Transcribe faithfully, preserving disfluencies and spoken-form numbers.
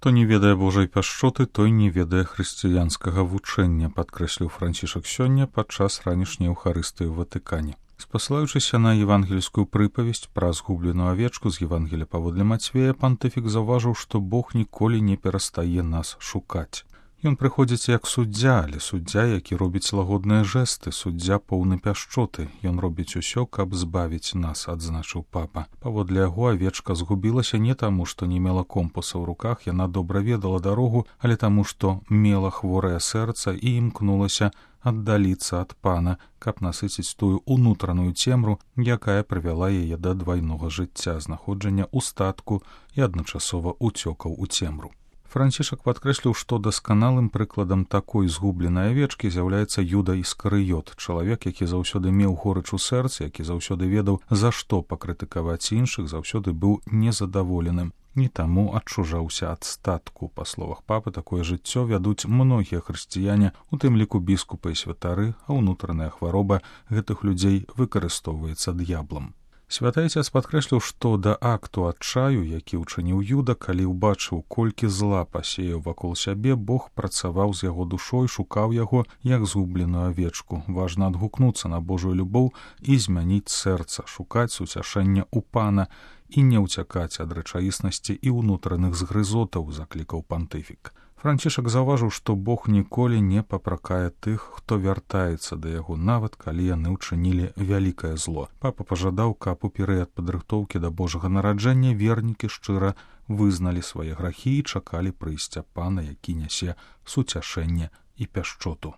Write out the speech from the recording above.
Хто не ведае Божай пяшчоты, той не ведае хрысціянскага вучэння, падкрэсліў Францішак сёння падчас ранішняй эўхарыстыі ў Ватыкане. Спасылаючыся на евангельскую прыпавесць пра згубленую авечку з Евангелія паводле Мацвея, пантыфік заўважыў, што Бог ніколі не перастае нас шукаць. Ён прыходзіць як суддзя, але суддзя, які робіць лагодныя жэсты, суддзя поўны пяшчоты. Ён робіць усё, каб збавіць нас, адзначыў папа. Паводле яго авечка згубілася не таму, што не мела компаса ў руках, яна добра ведала дарогу, але таму, што мела хворае сэрца і імкнулася аддаліцца ад пана, каб насыціць тую унутраную цемру, якая прывяла яе да двайнога жыцця, знаходжання ў статку і адначасова уцёкаў у цемру. Францішак падкрэсліў, што дасканалым прыкладам такой згубленай авечкі з'яўляецца Юда Іскарыёт, чалавек, які заўсёды меў горыч у сэрцы, які заўсёды ведаў, за што пакрытыкаваць іншых, заўсёды быў незадаволеным і таму адчужаўся ад статку. Па словах папы, такое жыццё вядуць многія хрысціяне, у тым ліку біскупы і святары, а ўнутраная хвароба гэтых людзей выкарыстоўваецца д'яблам. Святы Айцец падкрэсліў, што да акту адчаю, які ўчыніў Юда, калі ўбачыў, колькі зла пасеяў вакол сябе, Бог працаваў з яго душой, шукаў яго як згубленую авечку. Важна адгукнуцца на Божую любоў і змяніць сэрца, шукаць суцяшэння ў пана і не ўцякаць ад рэчаіснасці і ўнутраных згрызотаў, заклікаў пантыфік. Францішак заўважыў, што Бог ніколі не папракае тых, хто вяртаецца да яго, нават калі яны ўчынілі вялікае зло. Папа пажадаў, каб у перыяд падрыхтоўкі да Божага нараджэння вернікі шчыра вызналі свае грахі і чакалі прыйсця пана, які нясе суцяшэнне і пяшчоту.